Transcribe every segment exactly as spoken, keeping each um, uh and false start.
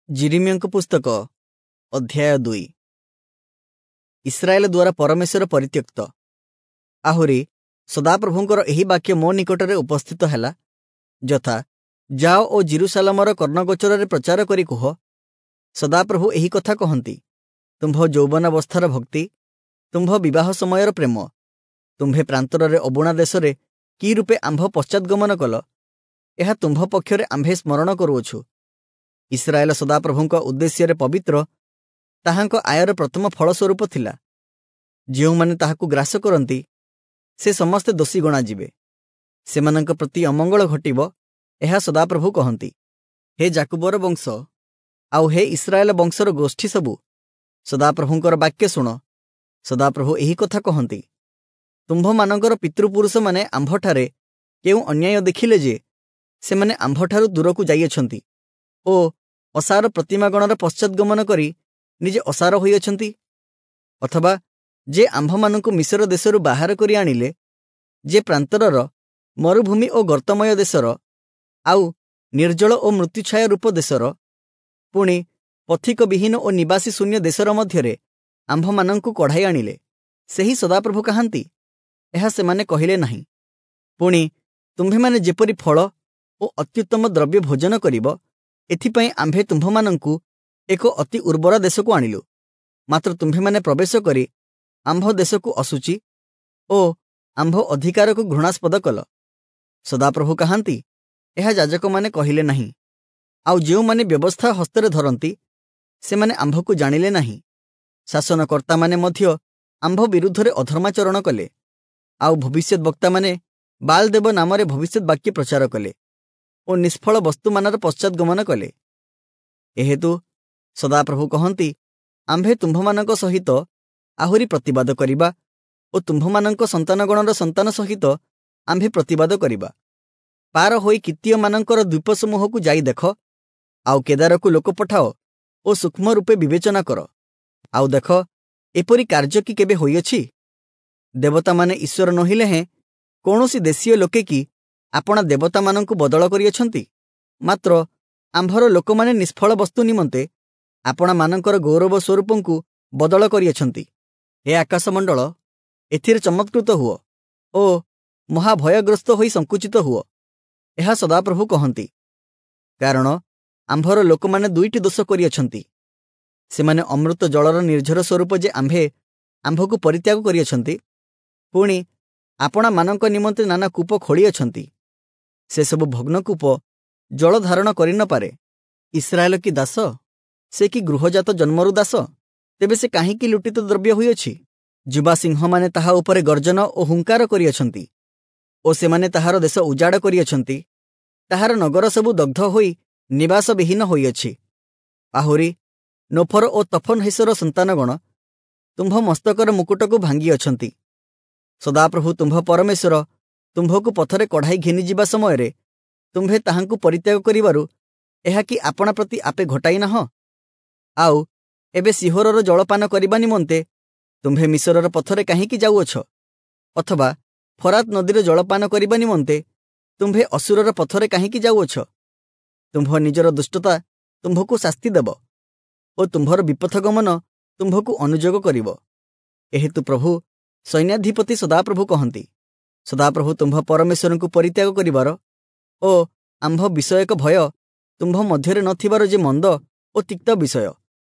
ଯିରିମିୟଙ୍କ ପୁସ୍ତକ ଅଧ୍ୟାୟ ଦୁଇ। ଇସ୍ରାଏଲ ଦ୍ୱାରା ପରମେଶ୍ୱର ପରିତ୍ୟକ୍ତ। ଆହୁରି ସଦାପ୍ରଭୁଙ୍କର ଏହି ବାକ୍ୟ ମୋ ନିକଟରେ ଉପସ୍ଥିତ ହେଲା, ଯଥା ଯାଅ ଓ ଯିରୂଶାଲମର କର୍ଣ୍ଣଗୋଚରରେ ପ୍ରଚାର କରି କୁହ, ସଦାପ୍ରଭୁ ଏହି କଥା କହନ୍ତି, ତୁମ୍ଭ ଯୌବନାବସ୍ଥାର ଭକ୍ତି, ତୁମ୍ଭ ବିବାହ ସମୟର ପ୍ରେମ, ତୁମ୍ଭେ ପ୍ରାନ୍ତରରେ ଅବୁଣା ଦେଶରେ କି ରୂପେ ଆମ୍ଭ ପଶ୍ଚାଦ୍ଗମନ କଲ, ଏହା ତୁମ୍ଭ ପକ୍ଷରେ ଆମ୍ଭେ ସ୍ମରଣ କରୁଅଛୁ। ଇସ୍ରାଏଲ ସଦାପ୍ରଭୁଙ୍କ ଉଦ୍ଦେଶ୍ୟରେ ପବିତ୍ର, ତାହାଙ୍କ ଆୟର ପ୍ରଥମ ଫଳସ୍ୱରୂପ ଥିଲା। ଯେଉଁମାନେ ତାହାକୁ ଗ୍ରାସ କରନ୍ତି, ସେ ସମସ୍ତେ ଦୋଷୀ ଗଣାଯିବେ। ସେମାନଙ୍କ ପ୍ରତି ଅମଙ୍ଗଳ ଘଟିବ, ଏହା ସଦାପ୍ରଭୁ କହନ୍ତି। ହେ ଯାକୁବର ବଂଶ, ଆଉ ହେ ଇସ୍ରାଏଲ ବଂଶର ଗୋଷ୍ଠୀ ସବୁ, ସଦାପ୍ରଭୁଙ୍କର ବାକ୍ୟ ଶୁଣ। ସଦାପ୍ରଭୁ ଏହି କଥା କହନ୍ତି, ତୁମ୍ଭମାନଙ୍କର ପିତୃପୁରୁଷମାନେ ଆମ୍ଭଠାରେ କେଉଁ ଅନ୍ୟାୟ ଦେଖିଲେ ଯେ ସେମାନେ ଆମ୍ଭଠାରୁ ଦୂରକୁ ଯାଇଅଛନ୍ତି ଓ ଅସାର ପ୍ରତିମାଗଣର ପଶ୍ଚାଦ୍ଗମନ କରି ନିଜେ ଅସାର ହୋଇଅଛନ୍ତି? ଅଥବା ଯେ ଆମ୍ଭମାନଙ୍କୁ ମିଶର ଦେଶରୁ ବାହାର କରି ଆଣିଲେ, ଯେ ପ୍ରାନ୍ତରର ମରୁଭୂମି ଓ ଗର୍ତ୍ତମୟ ଦେଶର, ଆଉ ନିର୍ଜଳ ଓ ମୃତ୍ୟୁଛାୟା ରୂପ ଦେଶର, ପୁଣି ପଥିକବିହୀନ ଓ ନିବାସୀ ଶୂନ୍ୟ ଦେଶର ମଧ୍ୟରେ ଆମ୍ଭମାନଙ୍କୁ କଢ଼ାଇ ଆଣିଲେ, ସେହି ସଦାପ୍ରଭୁ କାହାନ୍ତି? ଏହା ସେମାନେ କହିଲେ ନାହିଁ। ପୁଣି ତୁମ୍ଭେମାନେ ଯେପରି ଫଳ ଓ ଅତ୍ୟୁତ୍ତମ ଦ୍ରବ୍ୟ ଭୋଜନ କରିବ, ଏଥିପାଇଁ ଆମ୍ଭେ ତୁମ୍ଭମାନଙ୍କୁ ଏକ ଅତି ଉର୍ବର ଦେଶକୁ ଆଣିଲୁ। ମାତ୍ର ତୁମ୍ଭେମାନେ ପ୍ରବେଶ କରି ଆମ୍ଭ ଦେଶକୁ ଅଶୁଚି ଓ ଆମ୍ଭ ଅଧିକାରକୁ ଘୃଣାସ୍ପଦ କଲ। ସଦାପ୍ରଭୁ କାହାନ୍ତି? ଏହା ଯାଜକମାନେ କହିଲେ ନାହିଁ। ଆଉ ଯେଉଁମାନେ ବ୍ୟବସ୍ଥା ହସ୍ତରେ ଧରନ୍ତି, ସେମାନେ ଆମ୍ଭକୁ ଜାଣିଲେ ନାହିଁ। ଶାସନକର୍ତ୍ତାମାନେ ମଧ୍ୟ ଆମ୍ଭ ବିରୁଦ୍ଧରେ ଅଧର୍ମାଚରଣ କଲେ, ଆଉ ଭବିଷ୍ୟତ ବକ୍ତାମାନେ ବାଲଦେବ ନାମରେ ଭବିଷ୍ୟତ ବାକ୍ୟ ପ୍ରଚାର କଲେ ଓ ନିଷ୍ଫଳ ବସ୍ତୁମାନର ପଶ୍ଚାଦ୍ଗମନ କଲେ। ଏହେତୁ ସଦାପ୍ରଭୁ କହନ୍ତି, ଆମ୍ଭେ ତୁମ୍ଭମାନଙ୍କ ସହିତ ଆହୁରି ପ୍ରତିବାଦ କରିବା ଓ ତୁମ୍ଭମାନଙ୍କ ସନ୍ତାନଗଣର ସନ୍ତାନ ସହିତ ଆମ୍ଭେ ପ୍ରତିବାଦ କରିବା। ପାର ହୋଇ କିତ୍ତୀୟମାନଙ୍କର ଦ୍ୱୀପସମୂହକୁ ଯାଇ ଦେଖ, ଆଉ କେଦାରକୁ ଲୋକ ପଠାଅ ଓ ସୂକ୍ଷ୍ମ ରୂପେ ବିବେଚନା କର। ଆଉ ଦେଖ, ଏପରି କାର୍ଯ୍ୟ କି କେବେ ହୋଇଅଛି? ଦେବତାମାନେ ଈଶ୍ୱର ନୋହିଲେ ହେଁ କୌଣସି ଦେଶୀୟ ଲୋକେ କି ଆପଣା ଦେବତାମାନଙ୍କୁ ବଦଳ କରିଅଛନ୍ତି? ମାତ୍ର ଆମ୍ଭର ଲୋକମାନେ ନିଷ୍ଫଳ ବସ୍ତୁ ନିମନ୍ତେ ଆପଣାମାନଙ୍କର ଗୌରବ ସ୍ୱରୂପଙ୍କୁ ବଦଳ କରିଅଛନ୍ତି। ହେ ଆକାଶମଣ୍ଡଳ, ଏଥିରେ ଚମତ୍କୃତ ହୁଅ ଓ ମହାଭୟଗ୍ରସ୍ତ ହୋଇ ସଂକୁଚିତ ହୁଅ, ଏହା ସଦାପ୍ରଭୁ କହନ୍ତି। କାରଣ ଆମ୍ଭର ଲୋକମାନେ ଦୁଇଟି ଦୋଷ କରିଅଛନ୍ତି। ସେମାନେ ଅମୃତ ଜଳର ନିର୍ଝର ସ୍ୱରୂପ ଯେ ଆମ୍ଭେ ଆମ୍ଭକୁ ପରିତ୍ୟାଗ କରିଅଛନ୍ତି, ପୁଣି ଆପଣାମାନଙ୍କ ନିମନ୍ତେ ନାନା କୂପ ଖୋଳିଅଛନ୍ତି। ସେସବୁ ଭଗ୍ନକୂପ ଜଳ ଧାରଣ କରିନପାରେ। ଇସ୍ରାଏଲ କି ଦାସ? ସେ କି ଗୃହଜାତ ଜନ୍ମରୁ ଦାସ? ତେବେ ସେ କାହିଁକି ଲୁଟିତ ଦ୍ରବ୍ୟ ହୋଇଅଛି? ଯୁବା ସିଂହମାନେ ତାହା ଉପରେ ଗର୍ଜନ ଓ ହୁଙ୍କାର କରିଅଛନ୍ତି ଓ ସେମାନେ ତାହାର ଦେଶ ଉଜାଡ଼ କରିଅଛନ୍ତି। ତାହାର ନଗର ସବୁ ଦଗ୍ଧ ହୋଇ ନିବାସବିହୀନ ହୋଇଅଛି। ଆହୁରି ନୋଫର ଓ ତଫନହେସର ସନ୍ତାନଗଣ ତୁମ୍ଭ ମସ୍ତକର ମୁକୁଟକୁ ଭାଙ୍ଗିଅଛନ୍ତି। ସଦାପ୍ରଭୁ ତୁମ୍ଭ ପରମେଶ୍ୱର ତୁମ୍ଭକୁ ପଥରେ କଢ଼ାଇ ଘେନିଯିବା ସମୟରେ ତୁମ୍ଭେ ତାହାଙ୍କୁ ପରିତ୍ୟାଗ କରିବାରୁ ଏହା କି ଆପଣା ପ୍ରତି ଆପେ ଘଟାଇ ନାହଁ? ଆଉ ଏବେ ସିହୋରର ଜଳପାନ କରିବା ନିମନ୍ତେ ତୁମ୍ଭେ ମିଶରର ପଥରେ କାହିଁକି ଯାଉଅଛ? ଅଥବା ଫରାତ ନଦୀର ଜଳପାନ କରିବା ନିମନ୍ତେ ତୁମ୍ଭେ ଅଶୂରର ପଥରେ କାହିଁକି ଯାଉଅଛ? ତୁମ୍ଭ ନିଜର ଦୁଷ୍ଟତା ତୁମ୍ଭକୁ ଶାସ୍ତି ଦେବ ଓ ତୁମ୍ଭର ବିପଥଗମନ ତୁମ୍ଭକୁ ଅନୁଯୋଗ କରିବ। ଏହେତୁ ପ୍ରଭୁ ସୈନ୍ୟାଧିପତି ସଦାପ୍ରଭୁ କହନ୍ତି, ସଦାପ୍ରଭୁ ତୁମ୍ଭ ପରମେଶ୍ୱରଙ୍କୁ ପରିତ୍ୟାଗ କରିବାର ଓ ଆମ୍ଭ ବିଷୟକ ଭୟ ତୁମ୍ଭ ମଧ୍ୟରେ ନଥିବାର ଯେ ମନ୍ଦ ଓ ତିକ୍ତ ବିଷୟ,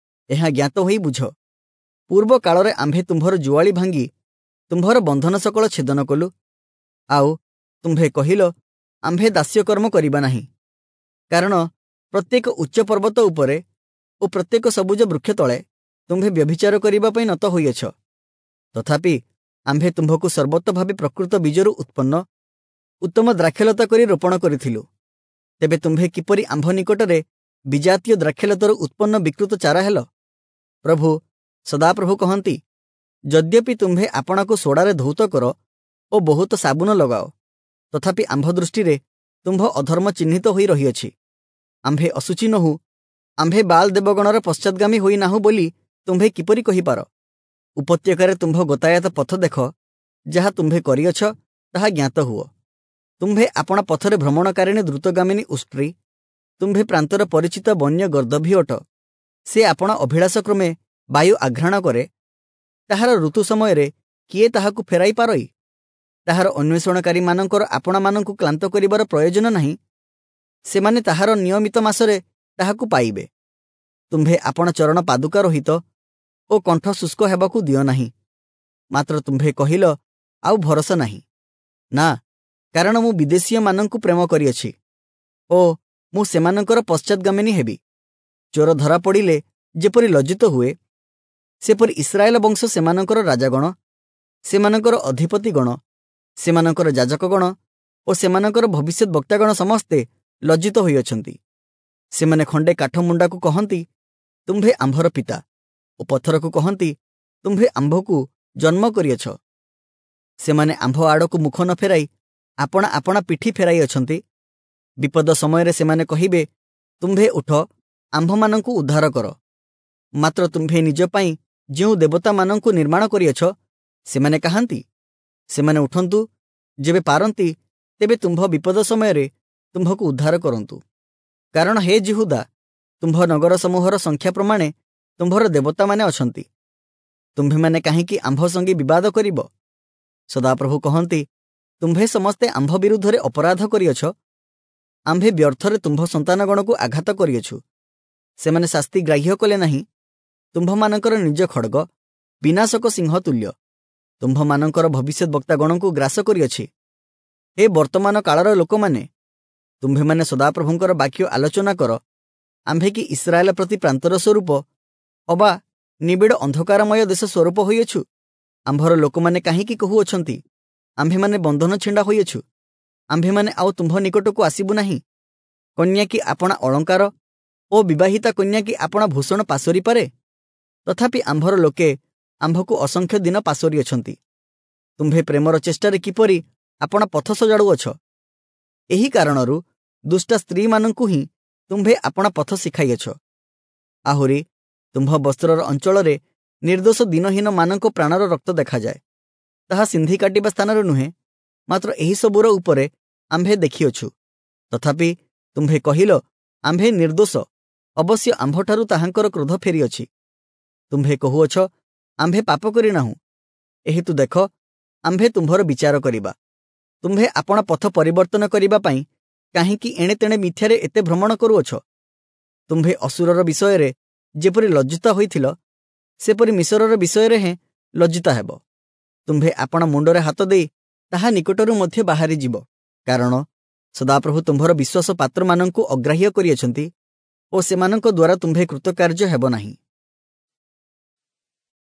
ଏହା ଜ୍ଞାତ ହୋଇ ବୁଝ। ପୂର୍ବ କାଳରେ ଆମ୍ଭେ ତୁମ୍ଭର ଜୁଆଳି ଭାଙ୍ଗି ତୁମ୍ଭର ବନ୍ଧନ ସକଳ ଛେଦନ କଲୁ। ଆଉ ତୁମ୍ଭେ କହିଲ, ଆମ୍ଭେ ଦାସ୍ୟକର୍ମ କରିବା ନାହିଁ। କାରଣ ପ୍ରତ୍ୟେକ ଉଚ୍ଚ ପର୍ବତ ଉପରେ ଓ ପ୍ରତ୍ୟେକ ସବୁଜ ବୃକ୍ଷ ତଳେ ତୁମ୍ଭେ ବ୍ୟଭିଚାର କରିବା ପାଇଁ ନତ ହୋଇଅଛ। ତଥାପି ଆମ୍ଭେ ତୁମ୍ଭକୁ ସର୍ବତଭାବେ ପ୍ରକୃତ ବୀଜରୁ ଉତ୍ପନ୍ନ ଉତ୍ତମ ଦ୍ରାକ୍ଷଲତା କରି ରୋପଣ କରିଥିଲୁ। ତେବେ ତୁମ୍ଭେ କିପରି ଆମ୍ଭ ନିକଟରେ ବିଜାତୀୟ ଦ୍ରାକ୍ଷଲତାରୁ ଉତ୍ପନ୍ନ ବିକୃତ ଚାରା ହେଲ? ପ୍ରଭୁ ସଦାପ୍ରଭୁ କହନ୍ତି, ଯଦ୍ୟପି ତୁମ୍ଭେ ଆପଣାକୁ ସୋଡ଼ାରେ ଧୌତ କର ଓ ବହୁତ ସାବୁନ ଲଗାଅ, ତଥାପି ଆମ୍ଭ ଦୃଷ୍ଟିରେ ତୁମ୍ଭ ଅଧର୍ମ ଚିହ୍ନିତ ହୋଇ ରହିଅଛି। ଆମ୍ଭେ ଅଶୁଚି ନୋହୁ, ଆମ୍ଭେ ବାଲ ଦେବଗଣର ପଶ୍ଚାଦ୍ଗାମୀ ହୋଇନାହୁଁ ବୋଲି ତୁମ୍ଭେ କିପରି କହିପାର? ଉପତ୍ୟକାରେ ତୁମ୍ଭ ଗତାୟତ ପଥ ଦେଖ, ଯାହା ତୁମ୍ଭେ କରିଅଛ ତାହା ଜ୍ଞାତ ହୁଅ। ତୁମ୍ଭେ ଆପଣା ପଥରେ ଭ୍ରମଣକାରିଣୀ ଦ୍ରୁତଗାମିନୀ ଉଷ୍ଟ୍ରୀ, ତୁମ୍ଭେ ପ୍ରାନ୍ତର ପରିଚିତ ବନ୍ୟ ଗର୍ଦ୍ଦଭୀ ଅଟ। ସେ ଆପଣା ଅଭିଳାଷ କ୍ରମେ ବାୟୁ ଆଘ୍ରାଣ କରେ। ତାହାର ଋତୁ ସମୟରେ କିଏ ତାହାକୁ ଫେରାଇ ପାରଇ? ତାହାର ଅନ୍ୱେଷଣକାରୀମାନଙ୍କର ଆପଣାମାନଙ୍କୁ କ୍ଳାନ୍ତ କରିବାର ପ୍ରୟୋଜନ ନାହିଁ। ସେମାନେ ତାହାର ନିୟମିତ ମାସରେ ତାହାକୁ ପାଇବେ। ତୁମ୍ଭେ ଆପଣା ଚରଣ ପାଦୁକା ରହିତ ଓ କଣ୍ଠ ଶୁଷ୍କ ହେବାକୁ ଦିଅ ନାହିଁ। ମାତ୍ର ତୁମ୍ଭେ କହିଲ, ଆଉ ଭରସା ନାହିଁ। ନା, କାରଣ ମୁଁ ବିଦେଶୀୟମାନଙ୍କୁ ପ୍ରେମ କରିଅଛି ଓ ମୁଁ ସେମାନଙ୍କର ପଶ୍ଚାତ୍ଗାମିନୀ ହେବି। ଚୋର ଧରା ପଡ଼ିଲେ ଯେପରି ଲଜ୍ଜିତ ହୁଏ, ସେପରି ଇସ୍ରାଏଲ ବଂଶ ସେମାନଙ୍କର ରାଜାଗଣ, ସେମାନଙ୍କର ଅଧିପତିଗଣ, ସେମାନଙ୍କର ଯାଜକଗଣ ଓ ସେମାନଙ୍କର ଭବିଷ୍ୟତ ବକ୍ତାଗଣ ସମସ୍ତେ ଲଜ୍ଜିତ ହୋଇଅଛନ୍ତି। ସେମାନେ ଖଣ୍ଡେ କାଠମୁଣ୍ଡାକୁ କହନ୍ତି, ତୁମ୍ଭେ ଆମ୍ଭର ପିତା, ଓ ପଥରକୁ କହନ୍ତି, ତୁମ୍ଭେ ଆମ୍ଭକୁ ଜନ୍ମ କରିଅଛ। ସେମାନେ ଆମ୍ଭ ଆଡ଼କୁ ମୁଖ ନ ଫେରାଇ ଆପଣା ଆପଣା ପିଠି ଫେରାଇ ଅଛନ୍ତି। ବିପଦ ସମୟରେ ସେମାନେ କହିବେ, ତୁମ୍ଭେ ଉଠ, ଆମ୍ଭମାନଙ୍କୁ ଉଦ୍ଧାର କର। ମାତ୍ର ତୁମ୍ଭେ ନିଜ ପାଇଁ ଯେଉଁ ଦେବତାମାନଙ୍କୁ ନିର୍ମାଣ କରିଅଛ, ସେମାନେ କାହାନ୍ତି? ସେମାନେ ଉଠନ୍ତୁ, ଯେବେ ପାରନ୍ତି ତେବେ ତୁମ୍ଭ ବିପଦ ସମୟରେ ତୁମ୍ଭକୁ ଉଦ୍ଧାର କରନ୍ତୁ। କାରଣ ହେ ଯିହୁଦା, ତୁମ୍ଭ ନଗର ସମୂହର ସଂଖ୍ୟା ପ୍ରମାଣେ ତୁମ୍ଭର ଦେବତାମାନେ ଅଛନ୍ତି। ତୁମ୍ଭେମାନେ କାହିଁକି ଆମ୍ଭ ସଙ୍ଗେ ବିବାଦ କରିବ? ସଦାପ୍ରଭୁ କହନ୍ତି, ତୁମ୍ଭେ ସମସ୍ତେ ଆମ୍ଭ ବିରୁଦ୍ଧରେ ଅପରାଧ କରିଅଛ। ଆମ୍ଭେ ବ୍ୟର୍ଥରେ ତୁମ୍ଭ ସନ୍ତାନଗଣକୁ ଆଘାତ କରିଅଛୁ। ସେମାନେ ଶାସ୍ତି ଗ୍ରାହ୍ୟ କଲେ ନାହିଁ। ତୁମ୍ଭମାନଙ୍କର ନିଜ ଖଡ଼ଗ ବିନାଶକ ସିଂହ ତୁଲ୍ୟ ତୁମ୍ଭମାନଙ୍କର ଭବିଷ୍ୟତ ବକ୍ତାଗଣଙ୍କୁ ଗ୍ରାସ କରିଅଛି। ହେ ବର୍ତ୍ତମାନ କାଳର ଲୋକମାନେ, ତୁମ୍ଭେମାନେ ସଦାପ୍ରଭୁଙ୍କର ବାକ୍ୟ ଆଲୋଚନା କର। ଆମ୍ଭେ କି ଇସ୍ରାଏଲ ପ୍ରତି ପ୍ରାନ୍ତର ସ୍ୱରୂପ ଅବା ନିବିଡ଼ ଅନ୍ଧକାରମୟ ଦେଶ ସ୍ୱରୂପ ହୋଇଅଛୁ? ଆମ୍ଭର ଲୋକମାନେ କାହିଁକି କହୁଅଛନ୍ତି, ଆମ୍ଭେମାନେ ବନ୍ଧନ ଛିଣ୍ଡା ହୋଇଅଛୁ, ଆମ୍ଭେମାନେ ଆଉ ତୁମ୍ଭ ନିକଟକୁ ଆସିବୁ ନାହିଁ? କନ୍ୟା କି ଆପଣା ଅଳଙ୍କାର ଓ ବିବାହିତା କନ୍ୟା କି ଆପଣା ଭୂଷଣ ପାଶୋରି ପାରେ? ତଥାପି ଆମ୍ଭର ଲୋକେ ଆମ୍ଭକୁ ଅସଂଖ୍ୟ ଦିନ ପାଶୋରିଅଛନ୍ତି। ତୁମ୍ଭେ ପ୍ରେମର ଚେଷ୍ଟାରେ କିପରି ଆପଣା ପଥ ସଜାଡ଼ୁଅଛ? ଏହି କାରଣରୁ ଦୁଷ୍ଟା ସ୍ତ୍ରୀମାନଙ୍କୁ ହିଁ ତୁମ୍ଭେ ଆପଣା ପଥ ଶିଖାଇଅଛ। ଆହୁରି ତୁମ୍ଭ ବସ୍ତ୍ରର ଅଞ୍ଚଳରେ ନିର୍ଦ୍ଦୋଷ ଦିନହୀନମାନଙ୍କ ପ୍ରାଣର ରକ୍ତ ଦେଖାଯାଏ। ତାହା ସିନ୍ଧି କାଟିବା ସ୍ଥାନରେ ନୁହେଁ, ମାତ୍ର ଏହିସବୁର ଉପରେ ଆମ୍ଭେ ଦେଖିଅଛୁ। ତଥାପି ତୁମ୍ଭେ କହିଲ, ଆମ୍ଭେ ନିର୍ଦ୍ଦୋଷ, ଅବଶ୍ୟ ଆମ୍ଭଠାରୁ ତାହାଙ୍କର କ୍ରୋଧ ଫେରିଅଛି। ତୁମ୍ଭେ କହୁଅଛ, ଆମ୍ଭେ ପାପ କରିନାହୁଁ। ଏହେତୁ ଦେଖ, ଆମ୍ଭେ ତୁମ୍ଭର ବିଚାର କରିବା। ତୁମ୍ଭେ ଆପଣା ପଥ ପରିବର୍ତ୍ତନ କରିବା ପାଇଁ କାହିଁକି ଏଣେ ତେଣେ ମିଥ୍ୟାରେ ଏତେ ଭ୍ରମଣ କରୁଅଛ? ତୁମ୍ଭେ ଅଶୂରର ବିଷୟରେ ଯେପରି ଲଜ୍ଜିତ ହୋଇଥିଲ, ସେପରି ମିଶରର ବିଷୟରେ ହେଁ ଲଜ୍ଜିତ ହେବ। ତୁମ୍ଭେ ଆପଣା ମୁଣ୍ଡରେ ହାତ ଦେଇ ତାହା ନିକଟରୁ ମଧ୍ୟ ବାହାରିଯିବ। କାରଣ ସଦାପ୍ରଭୁ ତୁମ୍ଭର ବିଶ୍ୱାସ ପାତ୍ରମାନଙ୍କୁ ଅଗ୍ରାହ୍ୟ କରିଅଛନ୍ତି ଓ ସେମାନଙ୍କ ଦ୍ୱାରା ତୁମ୍ଭେ କୃତକାର୍ଯ୍ୟ ହେବ ନାହିଁ।